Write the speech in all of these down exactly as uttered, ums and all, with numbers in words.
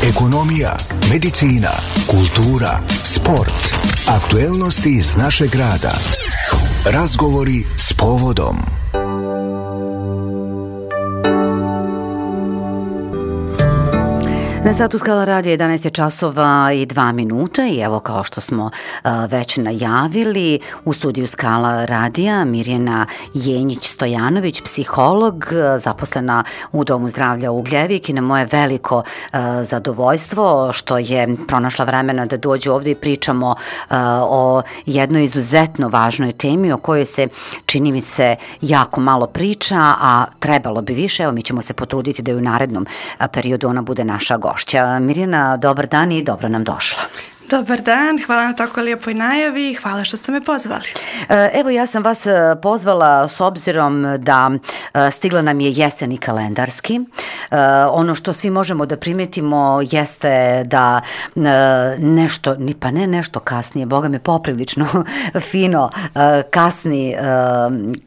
ekonomija, medicina, kultura, sport, aktuelnosti iz našeg grada. Razgovori s povodom. Na satu Skala radija jedanaest časova i dva minuta i evo kao što smo uh, već najavili u studiju Skala radija Mirjana Jenjić-Stojanović, psiholog, zaposlena u Domu zdravlja Ugljevik i na moje veliko uh, zadovoljstvo što je pronašla vremena da dođe ovdje i pričamo uh, o jednoj izuzetno važnoj temi o kojoj se čini mi se jako malo priča, a trebalo bi više. Evo mi ćemo se potruditi da i u narednom uh, periodu ona bude naša gošća. Mirjana, dobar dan i dobro nam došla. Dobar dan, hvala na tako lijepoj najavi i hvala što ste me pozvali. Evo ja sam vas pozvala s obzirom da stigla nam je jeseni kalendarski. Ono što svi možemo da primetimo jeste da nešto, ni pa ne nešto kasnije, Boga me poprilično fino kasni,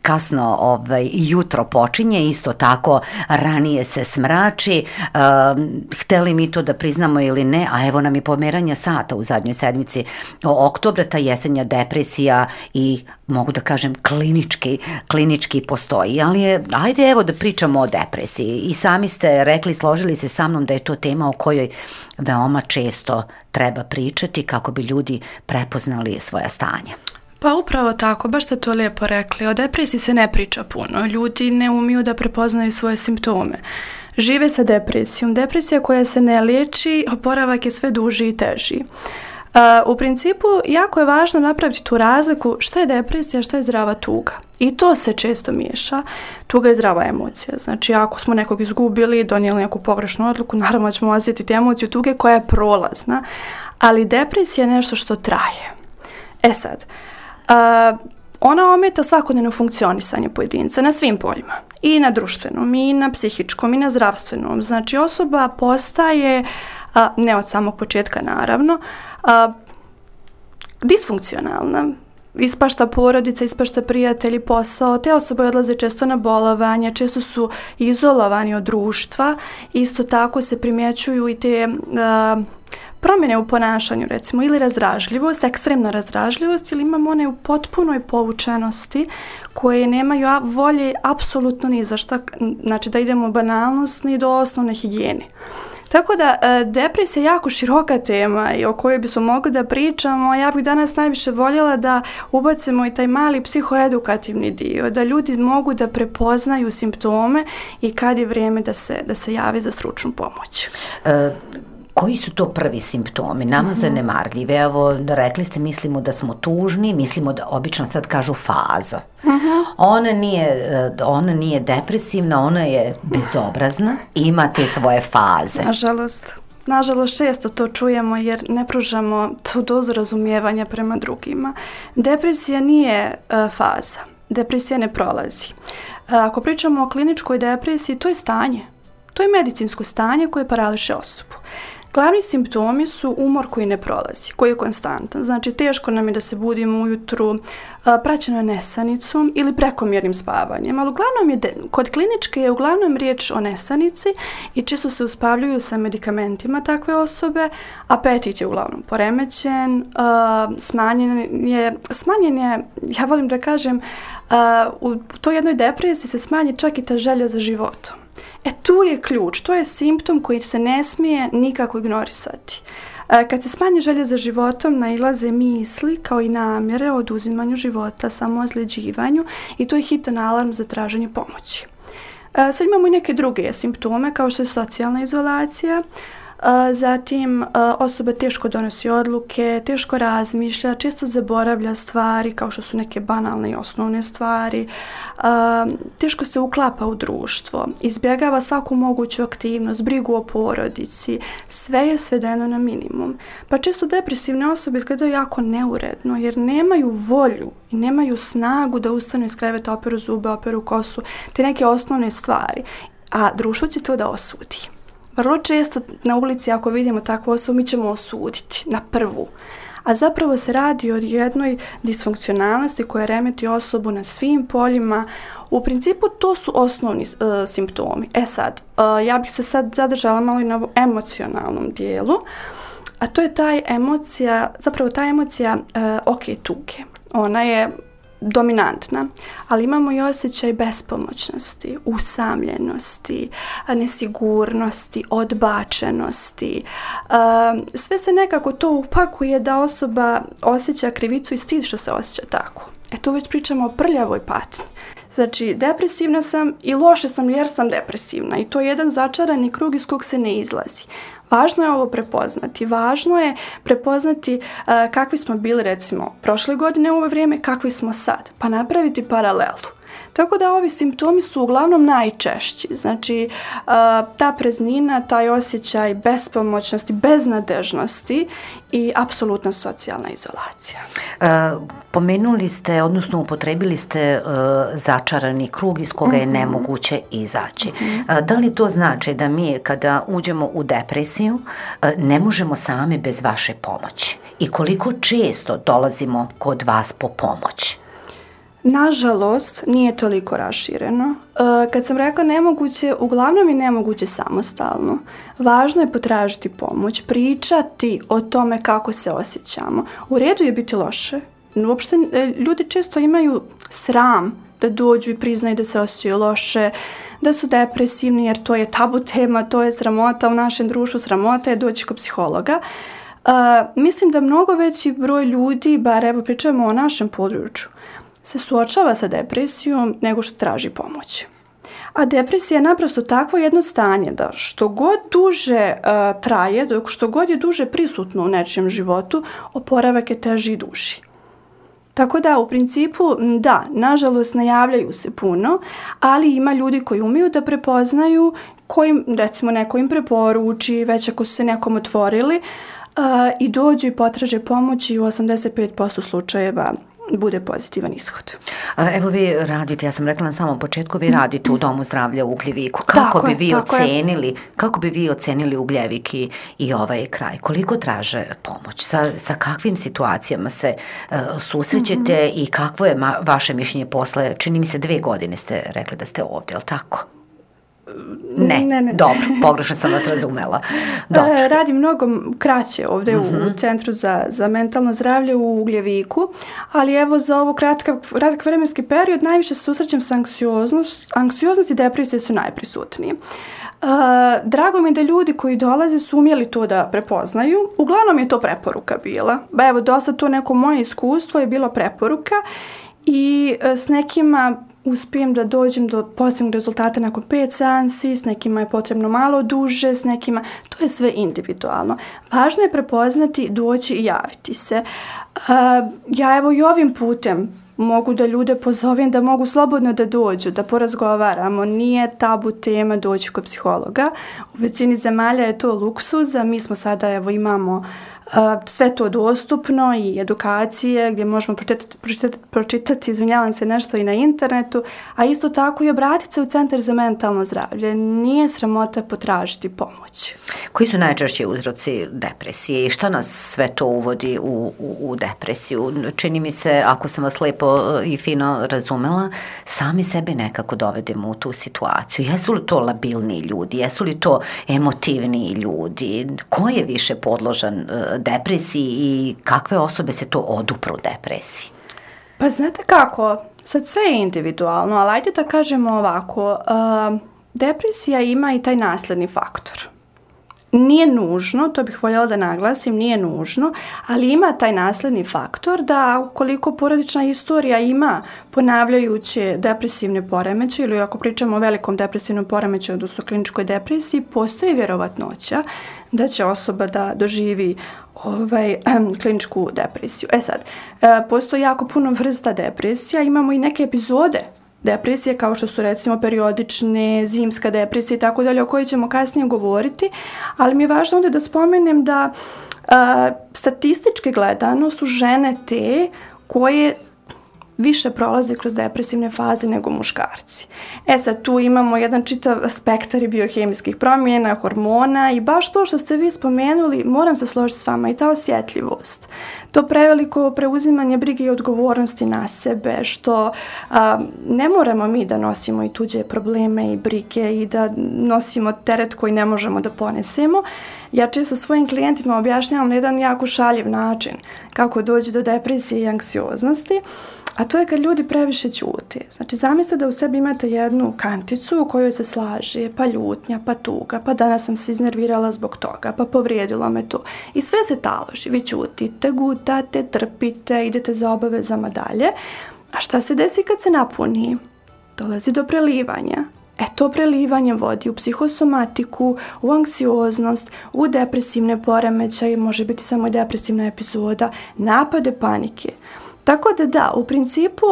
kasno ovaj, jutro počinje, isto tako ranije se smrači. Hteli mi to da priznamo ili ne, a evo nam je pomeranje sata u zadnjoj sedmici oktobra, ta jesenja depresija i mogu da kažem klinički, klinički postoji, ali je, ajde evo da pričamo o depresiji. I sami ste rekli, složili se sa mnom da je to tema o kojoj veoma često treba pričati kako bi ljudi prepoznali svoja stanja. Pa upravo tako, baš ste to lijepo rekli. O depresiji se ne priča puno. Ljudi ne umiju da prepoznaju svoje simptome. Žive sa depresijom. Depresija koja se ne liječi, oporavak je sve duži i teži. Uh, u principu, jako je važno napraviti tu razliku šta je depresija, šta je zdrava tuga. I to se često miješa. Tuga je zdrava emocija. Znači, ako smo nekog izgubili, donijeli neku pogrešnu odluku, naravno ćemo osjetiti emociju tuge koja je prolazna, ali depresija je nešto što traje. E sad, uh, ona ometa svakodnevno funkcionisanje pojedinca na svim poljima. I na društvenom, i na psihičkom, i na zdravstvenom. Znači, osoba postaje, a, ne od samog početka naravno, a, disfunkcionalna. Ispašta porodica, ispašta prijatelji, posao. Te osobe odlaze često na bolovanje, često su izolovani od društva. Isto tako se primjećuju i te a, promjene u ponašanju, recimo, ili razdražljivost, ekstremna razdražljivost, ili imamo one u potpunoj povučenosti koje nemaju volje apsolutno ni za šta, znači da idemo u banalnost ni do osnovne higijene. Tako da depresija je jako široka tema i o kojoj bismo mogli da pričamo, a ja bih danas najviše voljela da ubacimo i taj mali psihoedukativni dio, da ljudi mogu da prepoznaju simptome i kad je vrijeme da se, da se jave za stručnu pomoć. E, Koji su to prvi simptomi? Nama uh-huh. zanemarljive. Evo, rekli ste, mislimo da smo tužni, mislimo da, obično sad kažu faza. Uh-huh. Ona nije, ona nije depresivna, ona je bezobrazna, ima te svoje faze. Nažalost. Nažalost, često to čujemo jer ne pružamo tu dozu razumijevanja prema drugima. Depresija nije uh, faza. Depresija ne prolazi. Uh, ako pričamo o kliničkoj depresiji, to je stanje. To je medicinsko stanje koje parališe osobu. Glavni simptomi su umor koji ne prolazi, koji je konstantan. Znači, teško nam je da se budimo ujutru, praćeno je nesanicom ili prekomjernim spavanjem. Ali uglavnom je, kod kliničke je uglavnom riječ o nesanici i često se uspavljuju sa medikamentima takve osobe. Apetit je uglavnom poremećen, smanjen je, smanjen je, ja volim da kažem, u toj jednoj depresiji se smanji čak i ta želja za životom. E tu je ključ, to je simptom koji se ne smije nikako ignorisati. E, kad se smanje želje za životom, nailaze misli kao i namjere o oduzimanju života, samoozljeđivanju i to je hitan alarm za traženje pomoći. E, sad imamo i neke druge simptome kao što je socijalna izolacija, zatim osoba teško donosi odluke, teško razmišlja, često zaboravlja stvari kao što su neke banalne i osnovne stvari, teško se uklapa u društvo, izbjegava svaku moguću aktivnost, brigu o porodici, sve je svedeno na minimum. Pa često depresivne osobe izgledaju jako neuredno jer nemaju volju i nemaju snagu da ustanu iz kreveta, operu zube, operu kosu, te neke osnovne stvari, a društvo će to da osudi. Vrlo često na ulici ako vidimo takvu osobu mi ćemo osuditi na prvu, a zapravo se radi o jednoj disfunkcionalnosti koja remeti osobu na svim poljima U principu to su osnovni uh, simptomi. E sad, uh, ja bih se sad zadržala malo i na emocionalnom dijelu, a to je taj emocija, zapravo ta emocija uh, ok, tuge. Ona je dominantna, ali imamo i osjećaj bespomoćnosti, usamljenosti, nesigurnosti, odbačenosti. Sve se nekako to upakuje da osoba osjeća krivicu i stid što se osjeća tako. E tu već pričamo o prljavoj patnji. Znači, depresivna sam i loše sam jer sam depresivna i to je jedan začarani krug iz kog se ne izlazi. Važno je ovo prepoznati. Važno je prepoznati uh, kakvi smo bili recimo prošle godine u ovo vrijeme, kakvi smo sad, pa napraviti paralelu. Tako da ovi simptomi su uglavnom najčešći. Znači, uh, ta praznina, taj osjećaj bespomoćnosti, beznadežnosti i apsolutna socijalna izolacija. Uh, pomenuli ste, odnosno upotrebili ste uh, začarani krug iz koga je mm-hmm. nemoguće izaći. Mm-hmm. Uh, da li to znači da mi kada uđemo u depresiju uh, ne možemo sami bez vaše pomoći? I koliko često dolazimo kod vas po pomoć? Nažalost, nije toliko rašireno. E, kad sam rekla nemoguće, uglavnom je nemoguće samostalno. Važno je potražiti pomoć, pričati o tome kako se osjećamo. U redu je biti loše. Uopšte, ljudi često imaju sram da dođu i priznaju da se osjećaju loše, da su depresivni jer to je tabu tema, to je sramota u našem društvu, sramota je doći kod psihologa. Uh, mislim da mnogo veći broj ljudi, bar evo pričamo o našem području, se suočava sa depresijom nego što traži pomoć. A depresija je naprosto takvo jedno stanje da što god duže uh, traje, dok što god je duže prisutno u nečijem životu, oporavak je teži i duži. Tako da, u principu, da, nažalost, najavljaju se puno, ali ima ljudi koji umiju da prepoznaju, kojim, recimo, neko im preporuči, već ako su se nekom otvorili, uh, i dođu i potraže pomoć i u osamdeset pet posto slučajeva bude pozitivan ishod. Evo vi radite, ja sam rekla na samom početku, vi radite u Domu zdravlja u Ugljeviku. Kako tako bi je, vi ocenili, je. kako bi vi ocenili Ugljevik i, i ovaj kraj? Koliko traže pomoć? Sa, sa kakvim situacijama se uh, susrećete mm-hmm. i kakvo je ma, vaše mišljenje posle, čini mi se dve godine ste rekli da ste ovdje, je li tako? Ne, ne, ne. Dobro, pogrešno sam vas razumela. Dobro. E, radim mnogo kraće ovdje uh-huh. u, u Centru za, za mentalno zdravlje u Ugljeviku, ali evo za ovo kratka, kratak vremenski period najviše se susrećem sa anksioznost, anksioznost i depresija su najprisutniji. Uh, drago mi je da ljudi koji dolaze su umjeli to da prepoznaju. Uglavnom je to preporuka bila. Ba evo, dosta to neko moje iskustvo je bilo preporuka i uh, s nekima uspijem da dođem do pozitivnog rezultata nakon pet seansi, s nekima je potrebno malo duže, s nekima, to je sve individualno. Važno je prepoznati, doći i javiti se. Uh, ja evo i ovim putem mogu da ljude pozovem da mogu slobodno da dođu, da porazgovaramo. Nije tabu tema doći kod psihologa. U većini zemalja je to luksuz, a mi smo sada, evo, imamo uh, sve to dostupno i edukacije gdje možemo pročitati, pročitati, pročitati, izvinjavam se, nešto i na internetu, a isto tako i obratiti se u Centar za mentalno zdravlje. Nije sramota potražiti pomoć. Koji su najčešći uzroci depresije i šta nas sve to uvodi u, u, u depresiju? Čini mi se, ako sam vas lepo i fino razumela, sami sebe nekako dovedemo u tu situaciju. Jesu li to labilni ljudi? Jesu li to emotivni ljudi? Ko je više podložan depresiji i kakve osobe se to odupru depresiji? Pa znate kako, sad sve je individualno, ali ajde da kažemo ovako, uh, depresija ima i taj nasledni faktor. Nije nužno, to bih voljela da naglasim, nije nužno, ali ima taj nasledni faktor da ukoliko porodična istorija ima ponavljajuće depresivne poremeće ili ako pričamo o velikom depresivnom poremeću, odnosno kliničkoj depresiji, postoji vjerovatnoća da će osoba da doživi ovaj, kliničku depresiju. E sad, postoji jako puno vrsta depresija, imamo i neke epizode depresije kao što su recimo periodične, zimska depresija i tako dalje, o kojoj ćemo kasnije govoriti, ali mi je važno onda da spomenem da a, statistički gledano su žene te koje više prolaze kroz depresivne faze nego muškarci. E sad, tu imamo jedan čitav spektar biohemijskih promjena, hormona i baš to što ste vi spomenuli, moram se složiti s vama, i ta osjetljivost. To preveliko preuzimanje brige i odgovornosti na sebe, što a, ne moramo mi da nosimo i tuđe probleme i brige i da nosimo teret koji ne možemo da ponesemo. Ja često svojim klijentima objašnjavam na jedan jako šaljiv način kako dođe do depresije i anksioznosti, a to je kad ljudi previše ćute. Znači, zamislite da u sebi imate jednu kanticu u kojoj se slaže pa ljutnja, pa tuga, pa danas sam se iznervirala zbog toga, pa povrijedilo me to. I sve se taloži. Vi ćutite, gutate, trpite, idete za obavezama dalje. A šta se desi kad se napuni? Dolazi do prelivanja. E to prelivanje vodi u psihosomatiku, u anksioznost, u depresivne poremećaje, može biti samo depresivna epizoda, napade panike. Tako da da, u principu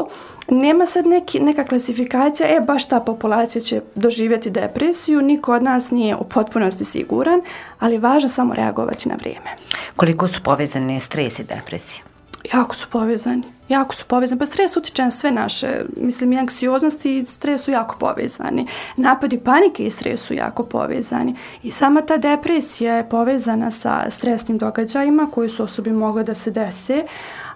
nema sad neki, neka klasifikacija, e baš ta populacija će doživjeti depresiju, niko od nas nije u potpunosti siguran, ali je važno samo reagovati na vrijeme. Koliko su povezane stres i depresija? Jako su povezani, jako su povezani. Pa stres utiče na sve naše, mislim, i anksioznost i stres su jako povezani. Napadi panike i stres su jako povezani. I sama ta depresija je povezana sa stresnim događajima koji su osobi mogli da se dese,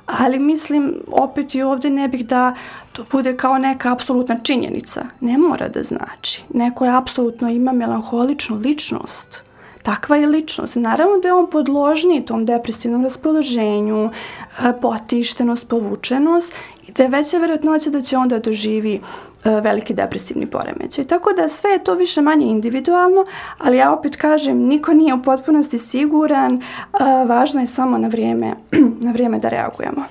ali mislim, opet i ovdje ne bih da to bude kao neka apsolutna činjenica. Ne mora da znači. Neko je apsolutno ima melanholičnu ličnost. Takva je ličnost. Naravno da je on podložniji tom depresivnom raspoloženju, potištenost, povučenost i da je veća vjerojatnoća da će onda doživi veliki depresivni poremećaj. Tako da sve je to više manje individualno, ali ja opet kažem, niko nije u potpunosti siguran, važno je samo na vrijeme, na vrijeme da reagujemo.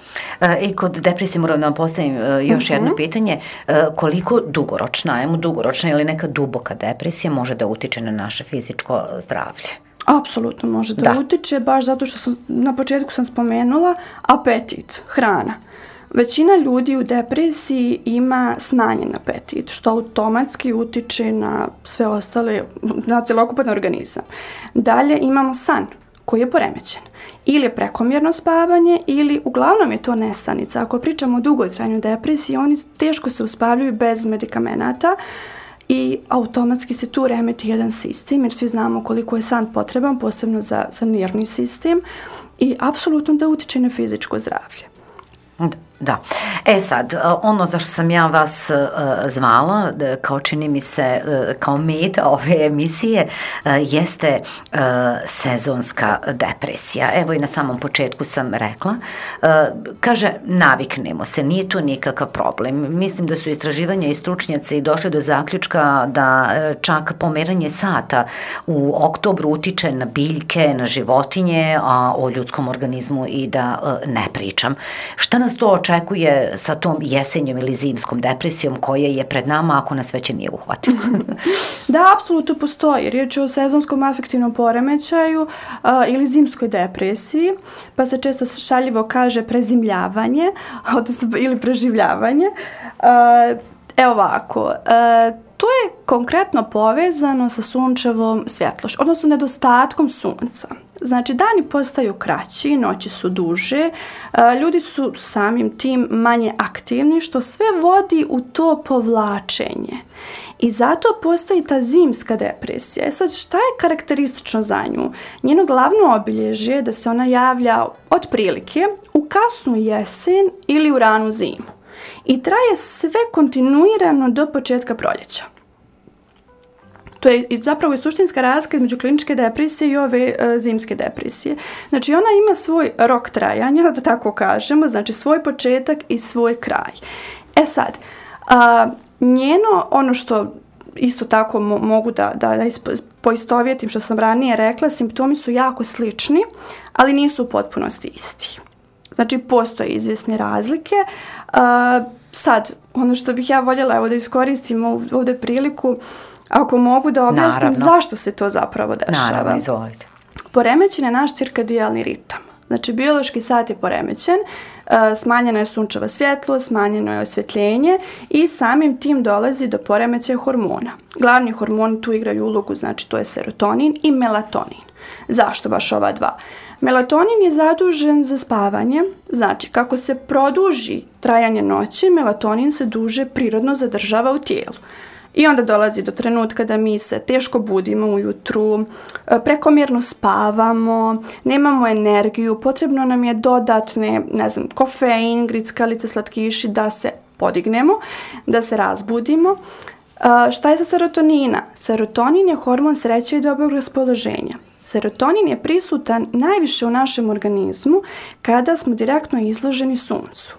I kod depresije moram da vam postavim još jedno pitanje, koliko dugoročna, ajmo dugoročna ili neka duboka depresija može da utiče na naše fizičko zdravlje? Apsolutno može da, da utiče, baš zato što sam, na početku sam spomenula, apetit, hrana. Većina ljudi u depresiji ima smanjen apetit, što automatski utiče na sve ostale, na cjelokupan organizam. Dalje imamo san koji je poremećen. Ili je prekomjerno spavanje, ili uglavnom je to nesanica. Ako pričamo o dugotrajnoj depresiji, oni teško se uspavljuju bez medikamenata i automatski se tu remeti jedan sistem, jer svi znamo koliko je san potreban, posebno za, za nervni sistem, i apsolutno da utiče na fizičko zdravlje. Da. E sad, ono za što sam ja vas uh, zvala, kao čini mi se, uh, kao meta ove emisije, uh, jeste uh, sezonska depresija. Evo i na samom početku sam rekla. Uh, kaže, naviknemo se, nije to nikakav problem. Mislim da su istraživanja i stručnjaci došli do zaključka da uh, čak pomeranje sata u oktobru utiče na biljke, na životinje, a o ljudskom organizmu i da uh, ne pričam. Šta nas to očekuje sa tom jesenjom ili zimskom depresijom koja je pred nama ako nas već nije uhvatila? Da, apsolutno postoji. Riječ je o sezonskom afektivnom poremećaju uh, ili zimskoj depresiji, pa se često šaljivo kaže prezimljavanje, odnosno ili preživljavanje. Uh, evo ovako, uh, to je konkretno povezano sa sunčevom svjetlošću, odnosno nedostatkom sunca. Znači, dani postaju kraći, noći su duže, ljudi su samim tim manje aktivni, što sve vodi u to povlačenje. I zato postoji ta zimska depresija. E sad, šta je karakteristično za nju? Njeno glavno obilježje je da se ona javlja otprilike u kasnu jesen ili u ranu zimu. I traje sve kontinuirano do početka proljeća. To je zapravo i suštinska razlika između kliničke depresije i ove e, zimske depresije. Znači, ona ima svoj rok trajanja, da tako kažemo, znači svoj početak i svoj kraj. E sad, a, njeno, ono što isto tako mo- mogu da, da, da ispo- poistovjetim što sam ranije rekla, simptomi su jako slični, ali nisu u potpunosti isti. Znači, postoje izvjesne razlike. A, sad, ono što bih ja voljela evo, da iskoristim ovdje priliku, ako mogu da objasnim Naravno. zašto se to zapravo dešava. Naravno, izvolite. Poremećen je naš cirkadijalni ritam. Znači, biološki sat je poremećen, smanjena je sunčeva svjetlost, smanjeno je osvjetljenje i samim tim dolazi do poremećaja hormona. Glavni hormoni tu igraju ulogu, znači to je serotonin i melatonin. Zašto baš ova dva? Melatonin je zadužen za spavanje, znači kako se produži trajanje noći, melatonin se duže prirodno zadržava u tijelu. I onda dolazi do trenutka da mi se teško budimo ujutru, prekomjerno spavamo, nemamo energiju, potrebno nam je dodatne, ne znam, kofein, grickalice, slatkiši da se podignemo, da se razbudimo. Uh, šta je sa serotonina? Serotonin je hormon sreće i dobrog raspoloženja. Serotonin je prisutan najviše u našem organizmu kada smo direktno izloženi suncu.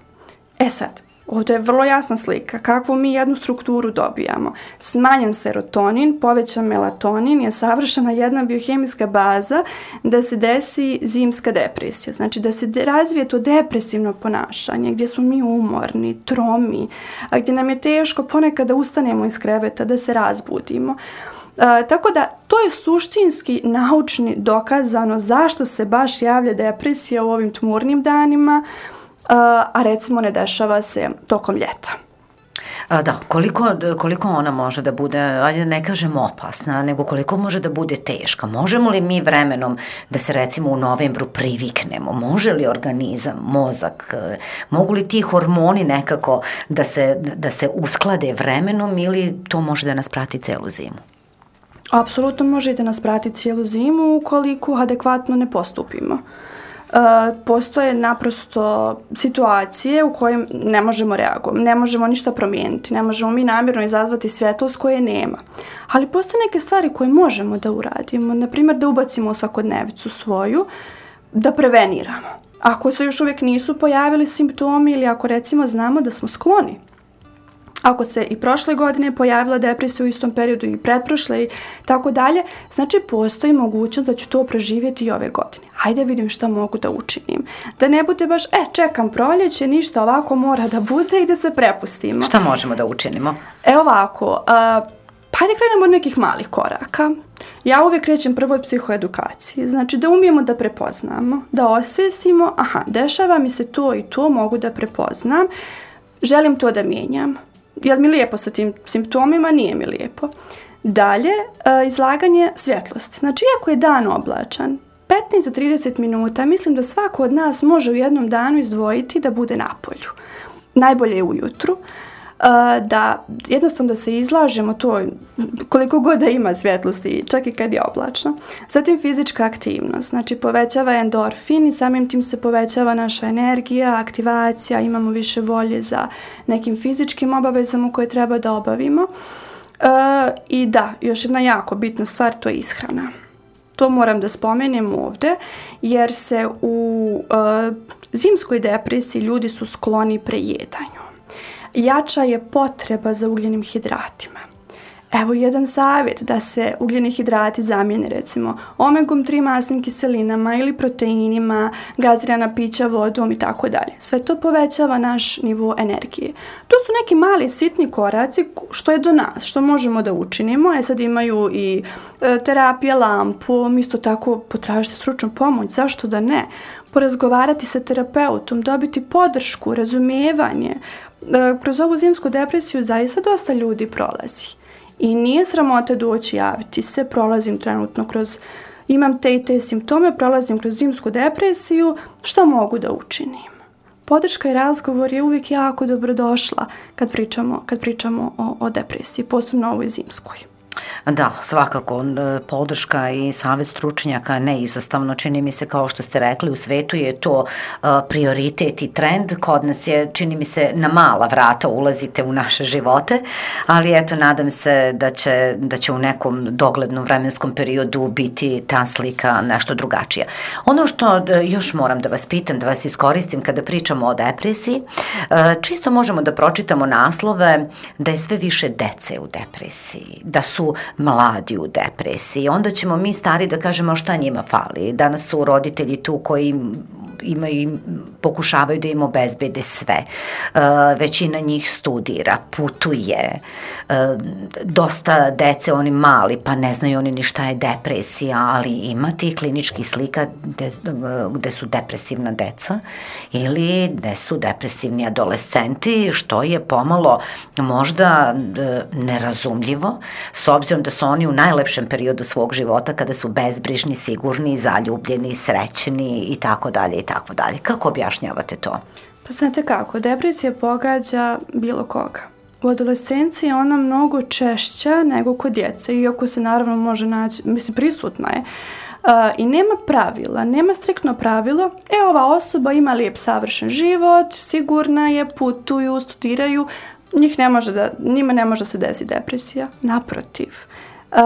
E sad, ovdje je vrlo jasna slika kakvu mi jednu strukturu dobijamo. Smanjen serotonin, povećan melatonin je savršena jedna biohemijska baza da se desi zimska depresija. Znači da se razvije to depresivno ponašanje gdje smo mi umorni, tromi, a gdje nam je teško ponekad da ustanemo iz kreveta, da se razbudimo. Uh, tako da to je suštinski naučni dokazano zašto se baš javlja depresija u ovim tmurnim danima, Uh, a recimo ne dešava se tokom ljeta. A, da, koliko, koliko ona može da bude, ajde ne kažem opasna, nego koliko može da bude teška. Možemo li mi vremenom da se recimo u novembru priviknemo? Može li organizam, mozak, mogu li ti hormoni nekako da se, da se usklade vremenom ili to može da nas prati celu zimu? Apsolutno može da nas prati cijelu zimu ukoliko adekvatno ne postupimo. Uh, postoje naprosto situacije u kojim ne možemo reagovati, ne možemo ništa promijeniti, ne možemo mi namjerno izazvati svjetlost koje nema. Ali postoje neke stvari koje možemo da uradimo, na primjer da ubacimo u svakodnevicu svoju, da preveniramo. Ako se još uvijek nisu pojavili simptomi ili ako recimo znamo da smo skloni. Ako se i prošle godine pojavila depresija u istom periodu i pretprošle i tako dalje, znači postoji mogućnost da ću to preživjeti i ove godine. Hajde vidim šta mogu da učinim. Da ne bude baš, e, čekam proljeće, ništa, ovako mora da bude i da se prepustimo. Šta možemo da učinimo? E ovako, uh, pa hajde krenemo od nekih malih koraka. Ja uvijek krećem prvo od psihoedukacije. Znači da umijemo da prepoznamo, da osvijestimo, aha, dešava mi se to i to, mogu da prepoznam, želim to da mijenjam. Je li mi lijepo sa tim simptomima? Nije mi lijepo. Dalje, izlaganje svjetlosti. Znači, iako je dan oblačan, petnaest do trideset minuta, mislim da svako od nas može u jednom danu izdvojiti da bude na polju. Najbolje je ujutru. Da jednostavno da se izlažemo to koliko god da ima svjetlosti, čak i kad je oblačno. Zatim fizička aktivnost, znači povećava endorfin i samim tim se povećava naša energija, aktivacija, imamo više volje za nekim fizičkim obavezama koje treba da obavimo. E, I da, još jedna jako bitna stvar, to je ishrana. To moram da spomenem ovdje, jer se u e, zimskoj depresiji ljudi su skloni prejedanju. Jača je potreba za ugljenim hidratima. Evo jedan savjet da se ugljeni hidrati zamijene recimo omegom tri masnim kiselinama ili proteinima, gazirana pića vodom i tako dalje. Sve to povećava naš nivo energije. To su neki mali sitni koraci što je do nas, što možemo da učinimo. E sad imaju i e, terapija lampom, isto tako potražiti stručnu pomoć, zašto da ne? Porazgovarati sa terapeutom, dobiti podršku, razumijevanje. E, kroz ovu zimsku depresiju zaista dosta ljudi prolazi. I nije sramota doći javiti se, prolazim trenutno kroz, imam te i te simptome, prolazim kroz zimsku depresiju, što mogu da učinim? Podrška i razgovor je uvijek jako dobrodošla kad pričamo, kad pričamo o, o depresiji, posebno ovoj zimskoj. Da, svakako, podrška i savjet stručnjaka neizostavno, čini mi se kao što ste rekli, u svetu je to uh, prioritet i trend, kod nas je, čini mi se, na mala vrata ulazite u naše živote, ali eto, nadam se da će, da će u nekom doglednom vremenskom periodu biti ta slika nešto drugačija. Ono što uh, još moram da vas pitam, da vas iskoristim kada pričamo o depresiji, uh, čisto možemo da pročitamo naslove da je sve više dece u depresiji, da su mladi u depresiji. Onda ćemo mi stari da kažemo šta njima fali. Danas su roditelji tu koji imaju, pokušavaju da im obezbede sve. Uh, većina njih studira, putuje, uh, dosta dece, oni mali, pa ne znaju oni ni šta je depresija, ali ima tih kliničkih slika gde, gde su depresivna deca ili gde su depresivni adolescenti, što je pomalo možda uh, nerazumljivo, s obzirom da su oni u najlepšem periodu svog života kada su bezbrižni, sigurni, zaljubljeni, srećni i tako dalje i tako dalje. Kako objašnjavate to? Pa znate kako, depresija pogađa bilo koga. U adolescenciji je ona mnogo češća nego kod djece, iako se naravno može naći, mislim, prisutna je. Uh, I nema pravila, nema striktno pravilo, e, ova osoba ima lijep savršen život, sigurna je, putuju, studiraju, njih ne može da, njima ne može se desiti depresija. Naprotiv. Uh,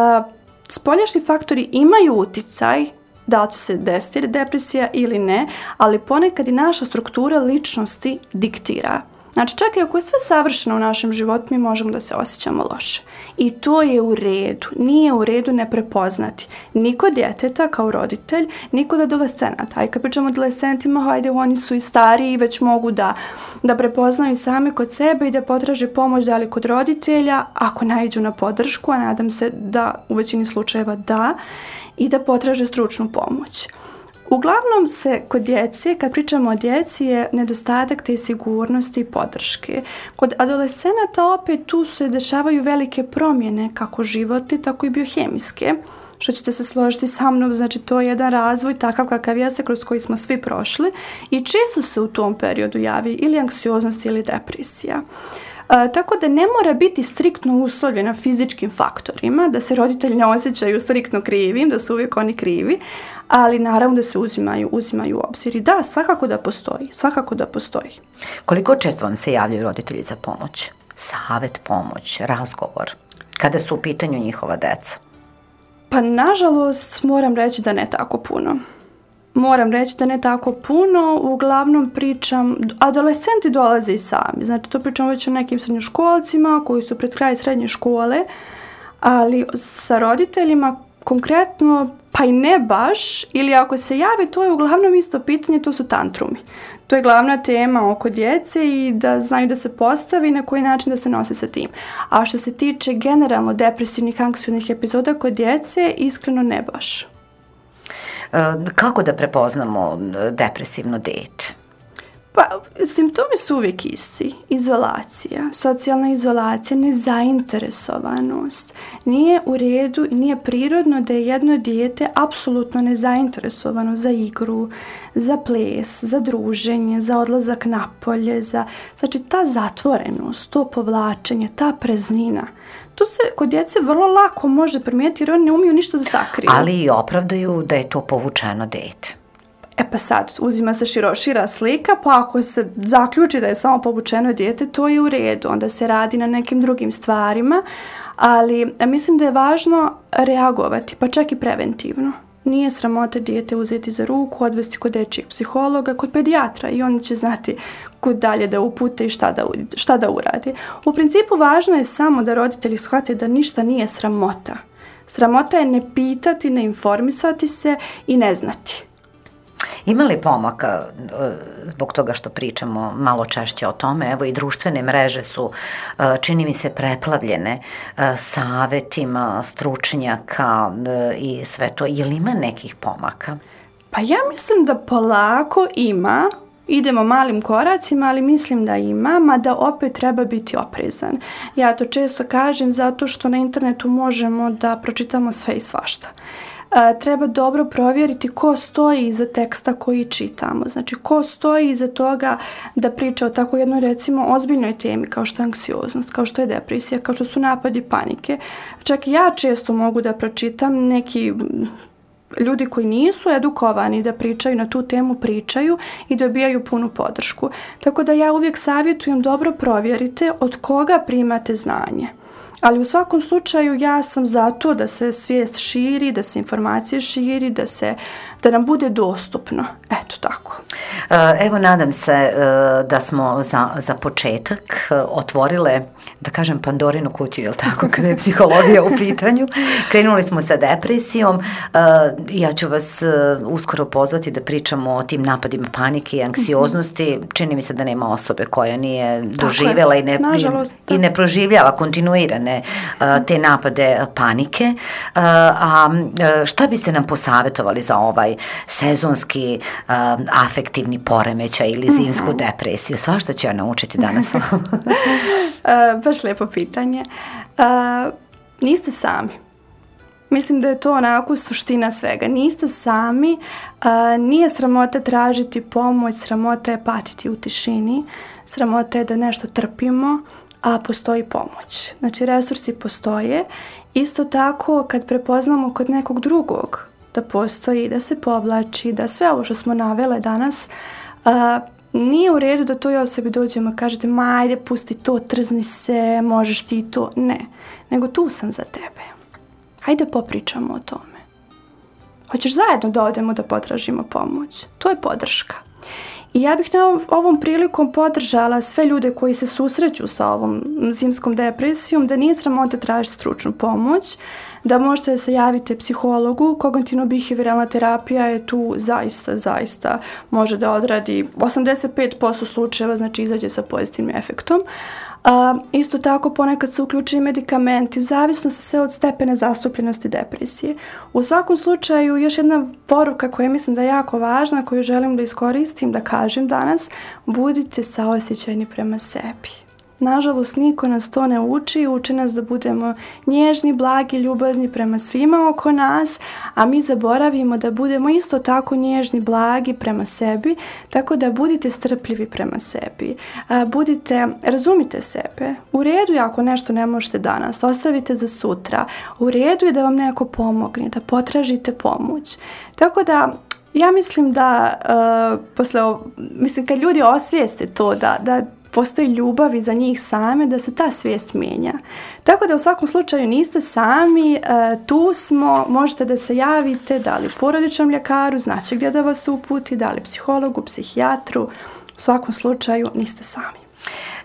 spoljašnji faktori imaju uticaj da li će se desiti depresija ili ne, ali ponekad i naša struktura ličnosti diktira. Znači, čak i ako je sve savršeno u našem životu, mi možemo da se osjećamo loše. I to je u redu. Nije u redu ne prepoznati. Ni kod djeteta kao roditelj, ni kod adolescenata. A i kad pričamo o adolescentima, hajde, oni su i stariji i već mogu da, da prepoznaju sami kod sebe i da potraže pomoć, da li kod roditelja, ako naiđu na podršku, a nadam se da u većini slučajeva da, i da potraže stručnu pomoć. Uglavnom se kod djece, kad pričamo o djeci, je nedostatak te sigurnosti i podrške. Kod adolescenata opet tu se dešavaju velike promjene, kako životne, tako i biohemijske, što ćete se složiti sa mnom, znači to je jedan razvoj takav kakav jeste, kroz koji smo svi prošli i često se u tom periodu javi ili anksioznost ili depresija. E, tako da ne mora biti striktno uslovljena fizičkim faktorima, da se roditelji ne osjećaju striktno krivim, da su uvijek oni krivi, ali naravno da se uzimaju, uzimaju u obzir. I da, svakako da postoji, svakako da postoji. Koliko često vam se javljaju roditelji za pomoć? Savet, pomoć, razgovor, kada su u pitanju njihova deca? Pa nažalost moram reći da ne tako puno. Moram reći da ne tako puno, uglavnom pričam, adolescenti dolaze i sami, znači to pričam već o nekim srednjoškolcima koji su pred kraj srednje škole, ali sa roditeljima konkretno, pa i ne baš, ili ako se javi, to je uglavnom isto pitanje, to su tantrumi. To je glavna tema oko djece i da znaju da se postavi na koji način da se nose sa tim. A što se tiče generalno depresivnih, anksioznih epizoda kod djece, iskreno ne baš. Kako da prepoznamo depresivno dete? Pa, simptomi su uvijek isti. Izolacija, socijalna izolacija, nezainteresovanost. Nije u redu i nije prirodno da je jedno dijete apsolutno nezainteresovano za igru, za ples, za druženje, za odlazak napolje, za... Znači, ta zatvorenost, to povlačenje, ta praznina, to se kod djece vrlo lako može primijetiti jer oni ne umiju ništa da sakriju. Ali i opravdaju da je to povučeno dete. E pa sad, uzima se širo, šira slika, pa ako se zaključi da je samo povučeno dijete, to je u redu. Onda se radi na nekim drugim stvarima, ali mislim da je važno reagovati, pa čak i preventivno. Nije sramota dijete uzeti za ruku, odvesti kod dečijeg psihologa, kod pedijatra i oni će znati kud dalje da upute i šta da, šta da uradi. U principu važno je samo da roditelji shvate da ništa nije sramota. Sramota je ne pitati, ne informisati se i ne znati. Ima li pomaka zbog toga što pričamo malo češće o tome? Evo i društvene mreže su, čini mi se, preplavljene savetima stručnjaka i sve to. Je li ima nekih pomaka? Pa ja mislim da polako ima. Idemo malim koracima, ali mislim da ima, mada opet treba biti oprezan. Ja to često kažem zato što na internetu možemo da pročitamo sve i svašta. Uh, treba dobro provjeriti ko stoji iza teksta koji čitamo. Znači, ko stoji iza toga da priča o tako jednoj, recimo, ozbiljnoj temi kao što je anksioznost, kao što je depresija, kao što su napadi panike. Čak ja često mogu da pročitam neki ljudi koji nisu edukovani da pričaju na tu temu, pričaju i dobijaju punu podršku. Tako da ja uvijek savjetujem dobro provjerite od koga primate znanje. Ali u svakom slučaju ja sam za to da se svijest širi, da se informacije širi, da se, da nam bude dostupno. Eto tako. Evo, nadam se da smo za, za početak otvorile, da kažem, Pandorinu kutiju, jel tako, kada je psihologija u pitanju. Krenuli smo sa depresijom. Ja ću vas uskoro pozvati da pričamo o tim napadima panike i anksioznosti. Čini mi se da nema osobe koja nije doživjela i ne, Nažalost, i ne proživljava kontinuirane te napade panike. A šta biste nam posavjetovali za ovaj sezonski afektivni poremećaj ili zimsku mm-hmm. depresiju? Svašta ću ja naučiti danas. uh, baš lijepo pitanje. Uh, niste sami. Mislim da je to onako suština svega. Niste sami, uh, nije sramota tražiti pomoć, sramota je patiti u tišini, sramota je da nešto trpimo, a postoji pomoć. Znači, resursi postoje. Isto tako, kad prepoznamo kod nekog drugog da postoji, da se povlači, da sve ovo što smo navele danas, uh, nije u redu da toj osobi dođemo i kažete, ma ajde, pusti to, trzni se, možeš ti to. Ne, nego tu sam za tebe. Hajde popričamo o tome. Hoćeš zajedno da odemo da potražimo pomoć? To je podrška. I ja bih na ovom prilikom podržala sve ljude koji se susreću sa ovom zimskom depresijom, da nije sramota tražiti stručnu pomoć, da možete da se javite psihologu. Kognitivno-behavioralna terapija je tu zaista, zaista može da odradi osamdeset pet posto slučajeva, znači izađe sa pozitivnim efektom. A, isto tako ponekad se uključi medikamenti, zavisno se sve od stepena zastupljenosti depresije. U svakom slučaju, još jedna poruka koja mislim da je jako važna, koju želim da iskoristim, da kažem danas, budite saosjećajni prema sebi. Nažalost, niko nas to ne uči, uči nas da budemo nježni, blagi, ljubazni prema svima oko nas, a mi zaboravimo da budemo isto tako nježni, blagi prema sebi, tako da budite strpljivi prema sebi, budite, razumite sebe. U redu je ako nešto ne možete danas, ostavite za sutra. U redu je da vam neko pomogne, da potražite pomoć. Tako da, ja mislim da, uh, posle, mislim, kad ljudi osvijeste to, da, da postoji ljubav iza njih same, da se ta svijest mijenja. Tako da u svakom slučaju niste sami, tu smo, možete da se javite, da li porodičnom ljekaru, znači gdje da vas uputi, da li psihologu, psihijatru, u svakom slučaju niste sami.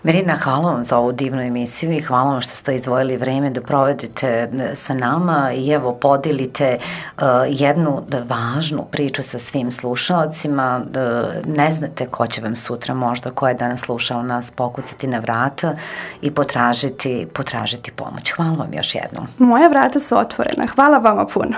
Mirjana, hvala vam za ovu divnu emisiju i hvala vam što ste izdvojili vreme da provedete sa nama i evo podelite uh, jednu važnu priču sa svim slušaocima. Uh, ne znate ko će vam sutra možda, ko je danas slušao nas, pokucati na vrata i potražiti, potražiti pomoć. Hvala vam još jednom. Moja vrata su otvorena. Hvala vama puno.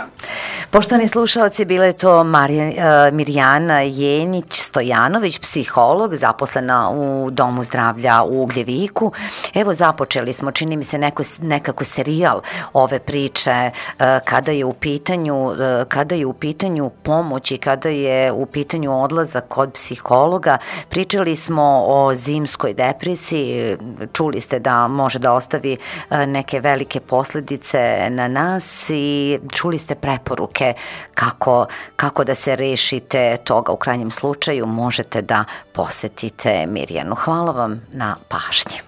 Poštovani slušaoci, bila je to Marija, uh, Mirjana Jenić-Stojanović, psiholog, zaposlena u Domu zdravlja u Ugljeviku. Evo, započeli smo, čini mi se, neko, nekako serijal ove priče uh, kada je u pitanju uh, kada je u pitanju pomoć i kada je u pitanju odlazak kod psihologa. Pričali smo o zimskoj depresiji, čuli ste da može da ostavi uh, neke velike posljedice na nas i čuli ste preporuke kako, kako da se rešite toga. U krajnjem slučaju možete da posetite Mirjanu. Hvala vam na pažnji.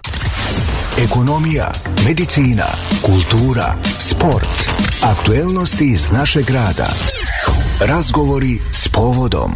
Ekonomija, medicina, kultura, sport, aktuelnosti iz našeg grada. Razgovori s povodom.